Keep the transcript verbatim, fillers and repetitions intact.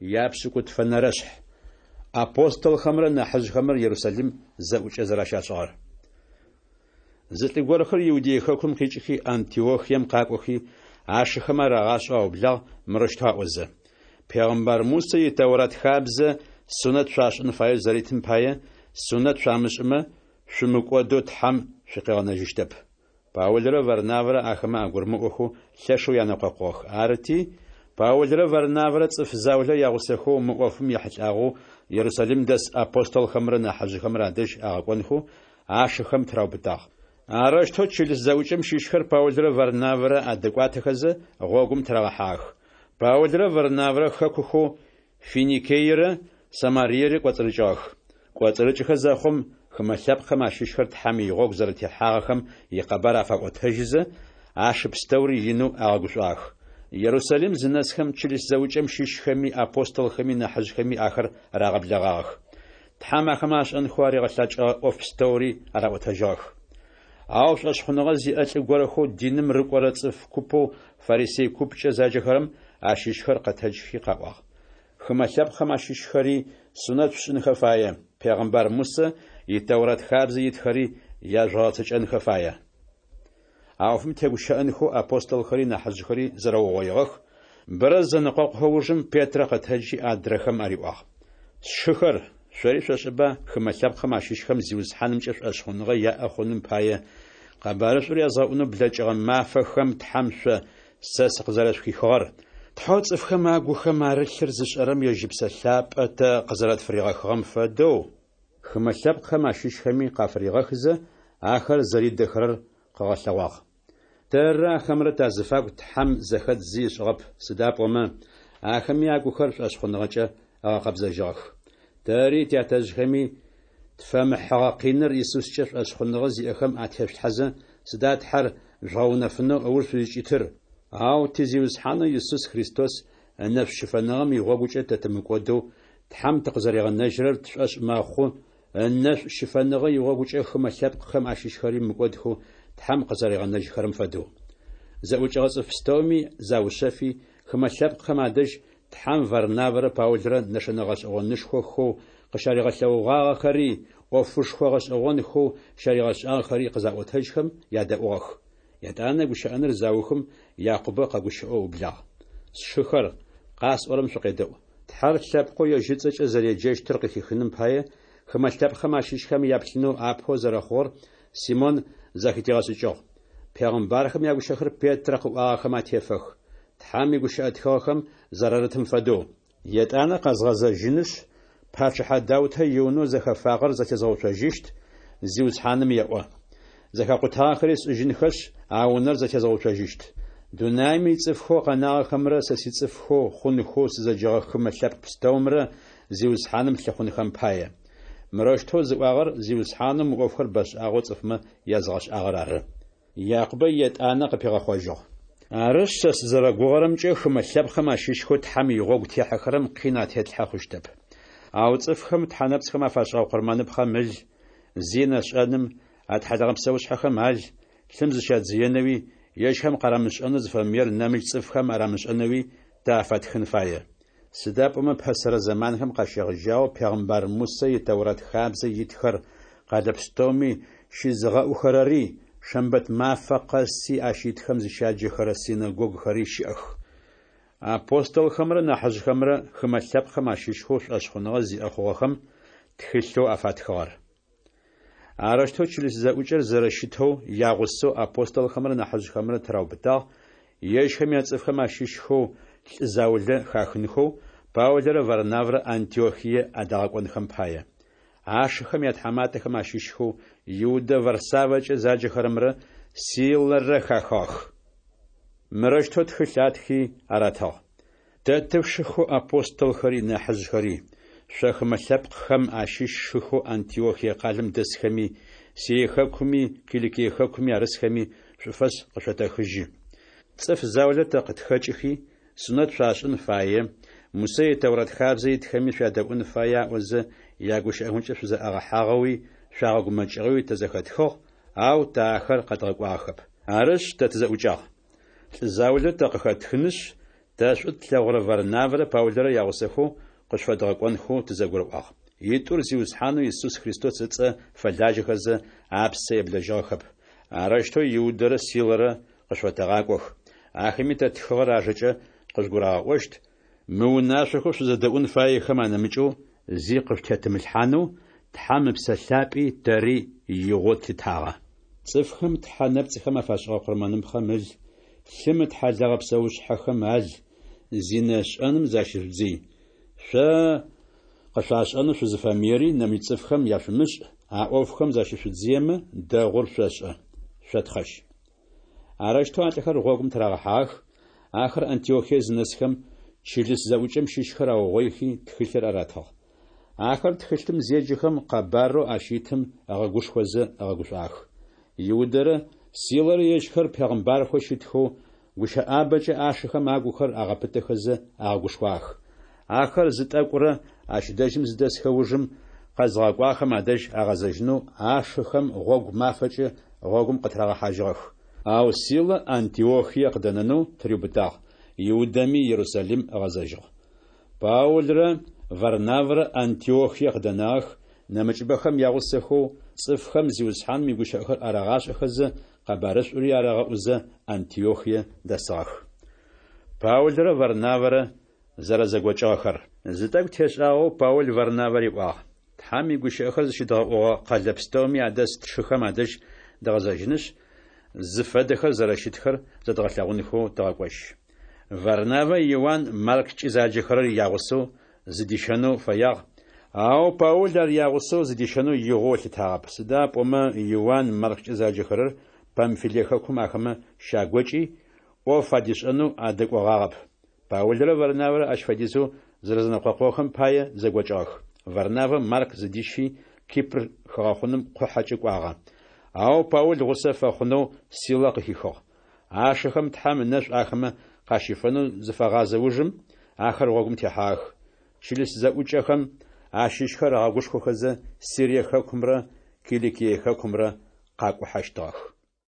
Япшӏыкӏутфэнэрэшъхь. Апостолхэмрэ нахьыжъхэмрэ Ерусалим зэӏукӏэ зэрэщашӏыгъэр. Зы лӏы горэхэр Иудей хэкум къикӏыхи, Антиохием къакӏохи, ашыхэм арагъашӏэу аублагъ, мырэущтэу аӏозэ: «Пегъымбар Мусэ и Тэурат хабзэ сунэт шъуашӏын фаеу зэритым пае, сунэт шъуамышӏымэ, шъумыкӏодэу Тхьэм шъукъыгъэнэжьыщтэп». Паулрэ Варнавэрэ ахэмэ агурымыӏохэу лъэшэу янэкъокъугъэх. Арыти, Паулрэ Варнавэрэ цӏыф заулэ ягъусэхэу мы ӏофым ехьылӏагъэу Ерусалим дэс апостолхэмрэ нахьыжъхэмрэ адэжь агъэкӏонхэу ашыхэм тыраубытагъ. Арэущтэу чылыс зэӏукӏэм щыщхэр Паулрэ Варнавэрэ адэкӏуатэхэзэ, гъогум тырагъэхьагъэх. Паулрэ Варнавэрэ хэкухэу Финикейрэ Самариерэ кӏоцӏырыкӏыгъэх. Кӏоцӏырыкӏыхэ зэхъум, хымэ лъэпкъхэм ащыщхэр Тхьэм игъогу зэрэтехьагъэхэм икъэбар афаӏотэжьызэ, ашы пстэури инэу агъэгушӏуагъэх. Ерусалим зынэсхэм, чылыс зэӏукӏэм щыщхэми, апостолхэми, нахьыжъхэми ахэр рагъэблэгъагъэх. Тхьэм ахэмэ ашӏэнхэу аригъэлъэкӏыгъэ ӏоф пстэури араӏотэжьыгъэх. Ау шӏошъхъуныгъэ зиӏэ лӏы горэхэу диным рыкӏорэ цӏыф купэу фарисей купкӏэ заджэхэрэм ащыщхэр къэтэджхи къаӏуагъ: «Хымэ лъэпкъхэм ащыщхэри сунэт шъушӏынхэ фае, пегъымбар Мусэ и Тэурат хабзэ итхэри яжъугъэгъэцэкӏэнхэ фае». А ӏофым тегущыӏэнхэу апостолхэри нахьыжъхэри зэрэугъоигъэх. Бэрэ зэнэкъокъухэ ужым Петрэ къэтэджи адрэхэм ариӏуагъ: «Сшыхэр, шъори шъошӏэба хымэ лъэпкъхэм ащыщхэм Зиусхьанымкӏэ шӏошъхъуныгъэ яӏэ хъуным пае къэбарышӏур язгъэӏунэу блэкӏыгъэ мафэхэм Тхьэм шъо сэ сыкъызэрэшъухихыгъэр. Тхьэу цӏыфхэм агухэм арылъыр зышӏэрэм ежь Ыпсэ Лъапӏэ тэ къызэрэтфыригъэхыгъэм фэдэу, хымэ лъэпкъхэм ащыщхэми къафыригъэхызэ, ахэр зэридэхэрэр къыгъэлъэгъуагъ. Тэррэ ахэмрэ тазыфагу Тхьэм зэхэдз зи ышӏыгъэп, сыда пӏомэ ахэми агухэр шӏошъхъуныгъэкӏэ ыгъэкъэбзэжьыгъэх. Тэри тятэжъхэми тфэмыхьыгъэ къиныр Исускӏэ шӏошъхъуныгъэ зиӏэхэм атешъулъхьэзэ, сыда Тхьэр жъугъэунэфынэу ыуж шъузкӏитыр? Ау ти Зиусхьанэу Исус Христос ынэшӏу щыфэныгъэм игъогукӏэ тэ тымыкӏодэу Тхьэм тыкъызэригъэнэжьырэр тшӏошъ мэхъу, ынэшӏу щыфэныгъэ игъогукӏэ хымэ лъэпкъхэм ащыщхэри мыкӏодхэу Тхьэм къызэригъэнэжьхэрэм фэдэу». Зэӏукӏэгъэ цӏыф пстэуми заушъэфи, хымэ лъэпкъхэм адэжь Тхьэм Варнавэрэ Паулрэ нэшэнэ гъэшӏэгъонышхохэу къыщаригъэлъэгъугъагъэхэри, ӏофышхо гъэшӏэгъонхэу щаригъэшӏагъэхэри къызаӏотэжьхэм ядэӏугъэх. Етӏанэ гущыӏэныр заухым, Якъубэ къэгущыӏэу ыублагъ: «Сшыхэр, къасӏорэм шъукъедэӏу. Тхьэр лъэпкъэу ежь ыцӏэкӏэ зэреджэщтыр къыхихыным пае, хымэ лъэпкъхэм ащыщхэм яплъынэу апэу зэрэхъугъэр Симон зэхытигъэшӏыкӏыгъ. Пегъымбархэм ягущыӏэхэр Петрэ къыӏуагъэхэм атефэх, Тхьэм игущыӏэ тхыгъэхэм зэрарытым фэдэу. Етӏанэ къэзгъэзэжьынышъ, пачъыхьэ Даутэ иунэу зэхэфагъэр зэтезгъэуцожьыщт, Зиусхьаным еӏо. Зэхэкъутагъэхэри сшӏыжьынхэшъ, а унэр зэтезгъэуцожьыщт. Дунаим ицӏыфхэу къэнагъэхэмрэ сэ сицӏыфхэу хъунхэу сызэджэгъэ хымэ лъэпкъ пстэумрэ Зиусхьаным лъыхъунхэм пае». Мырэущтэу зыӏуагъэр Зиусхьанэу мы ӏофхэр бэшӏагъэу цӏыфмэ язгъэшӏагъэр ары. Якъубэ етӏанэ къыпигъэхъожьыгъ: «Арышъ, сэ сызэрэгугъэрэмкӏэ, хымэ лъэпкъхэм ащыщхэу Тхьэм игъогу техьэхэрэм къин атетлъхьэ хъущтэп. Ау цӏыфхэм тхьэнэпцӏхэм афашӏыгъэ къурмэныпхъэм ыл, зинэ шӏэным, атхьалэгъэ псэушъхьэхэм ал, лъым зыщадзыенэуи, ежьхэм къарамышӏэнэу зыфэмыер нэмыкӏ цӏыфхэм арамышӏэнэуи тэ афаттхын фае. Сыда пӏомэ пэсэрэ зэманхэм къащегъэжьагъэу пегъымбар Мусэ и Тэурат хабзэ итхэр къэлэ пстэуми щызыгъэӏухэрэри, шэмбэт мафэ къэси ащ итхэм зыщяджэхэрэ синэгогухэри щыӏэх». Апостолхэмрэ нахьыжъхэмрэ хымэ лъэпкъхэм ащыщхэу шӏошъхъуныгъэ зиӏэ хъугъэхэм тхылъэу афатхыгъэр. Арэущтэу чылыс зэӏукӏэр зэрэщытэу ягъусэу апостолхэмрэ нахьыжъхэмрэ тыраубытагъ, ежьхэм яцӏыфхэм ащыщхэу лӏы заулэ хахынхэу Паулрэ Варнавэрэ Антиохие адагъэкӏонхэм пае. Ашыхэм ятхьаматэхэм ащыщхэу Иудэ Варсавэкӏэ заджэхэрэмрэ Силэрэ хахыгъэх. Мырэущтэу тхылъ атхи аратыгъ: «Тэ тышыхэу апостолхэри нахьыжъхэри, шъо хымэ лъэпкъхэм ащыщ шыхэу Антиохие къалэм дэсхэми, Сирие хэкуми, Киликие хэкуми арысхэми шӏуфэс къышъотэхыжьы. Цӏыф заулэ тэ къытхэкӏыхи, сунэт шъуашӏын фае, Мусэ и Тэурат хабзэ итхэми шъуядэӏун фае аӏозэ, ягущыӏэхэмкӏэ шъузэӏагъэхьагъэуи шъуагъэгумэкӏыгъэуи тэ зэхэтхыгъ, ау тэ ахэр къэдгъэкӏуагъэхэп. Арышъ, тэ тызэӏукӏагъ. Лӏы заулэ тэ къыхэтхынышъ, Тэ шӏу тлъэгъурэ Варнавэрэ Паулрэ ягъусэхэу къышъуфэдгъэкӏонхэу тызэгурыӏуагъ. Итӏур Зиусхьанэу Исус Христос ыцӏэ фэлажьэхэзэ, апсэ еблэжьыгъэхэп. Арэущтэу Иудэрэ Силэрэ къышъуфэтэгъакӏох. Ахэми тэ ттхыгъэр ажэкӏэ къыжъугурагъэӏощт, Мы унашъохэу шъузэдэӏун фаехэм анэмыкӏэу зи къышъутетымылъхьанэу Тхьэм Ыпсэ Лъапӏи тэри игъоу тлъытагъэ. Цӏыфхэм тхьэ нэпцӏхэм афашӏыгъэ къурмэныпхъэм ыл, лъым ытхьалэгъэ псэушъхьэхэм ал, зинэ шӏэным защыжъудзый. Шъо къышъуашӏэнэу шъузыфэмыери нэмыкӏ цӏыфхэм яшъумышӏ, а ӏофхэм защышъудзыемэ, дэгъур шъошӏэ. Шъотхъэжь. Арэущтэу а лӏыхэр гъогум тырагъэхьагъэх. Ахэр Антиохие зынэсхэм, чылыс зэӏукӏэм щыщхэр аугъоихи, тхылъыр аратыгъ. Ахэр тхылъым зеджэхэм, къэбарэу ащ итым ыгъэгушхозэ ыгъэгушӏуагъэх. Иудэрэ Силэрэ ежьхэр пегъымбархэу щытхэу, гущыӏабэкӏэ ашыхэм агухэр агъэпытэхэзэ агъэгушхуагъэх. Ахэр зы тӏэкӏурэ ащ дэжьым зыдэсхэ ужым, къэзыгъэкӏуагъэхэм адэжь агъэзэжьынэу ашыхэм гъогу мафэкӏэ гъогум къытырагъэхьажьыгъэх. Ау Силэ Антиохие къыдэнэнэу тыриубытагъ, Иудэми Ерусалим ыгъэзэжьыгъ. Паулрэ Варнавэрэ Антиохие къыдэнагъэх, нэмыкӏыбэхэм ягъусэхэу, цӏыфхэм Зиусхьаным игущыӏэхэр арагъашӏэхэзэ, къэбарышӏури арагъэӏузэ, Антиохие дэсыгъэх. Паулрэ Варнавэрэ зэрэзэгокӏыгъэхэр. Зы тӏэкӏу тешӏагъэу Паул Варнавэ риӏуагъ: Тхьэм игущыӏэхэр зыщыдгъэӏугъэ къэлэ пстэуми адэс тшыхэм адэжь дгъэзэжьынышъ, зыфэдэхэр зэрэщытхэр зэдгъэлъэгъунхэу тыгъэкӏожь. Варнавэ Иуан Марккӏи заджэхэрэр ягъусэу зыдищэнэу фэягъ, ау Паул ар ягъусэу зыдищэнэу игъоу ылъытагъэп, сыда пӏомэ Иуан Марккӏэ заджэхэрэр Памфилие хэкум ахэмэ щагокӏи, ӏоф адишӏэнэу адэкӏогъагъэп. Паулрэ Варнавэрэ ащ фэдизэу зэрэзэнэкъокъугъэхэм пае зэгокӏыгъэх. Варнавэ Марк зыдищи, Кипр хыгъэхъуным къухьэкӏэ кӏуагъэ. Ау Паул гъусэ фэхъунэу Силэ къыхихыгъ. Ашыхэм Тхьэм ынэшӏу ахэмэ къащифэнэу зыфагъазэ ужым, ахэр гъогум техьагъэх. Чылыс зэӏукӏэхэм ащыщхэр агъэгушхохэзэ, Сирие хэкумрэ Киликие хэкумрэ къакӏухьэщтыгъэх.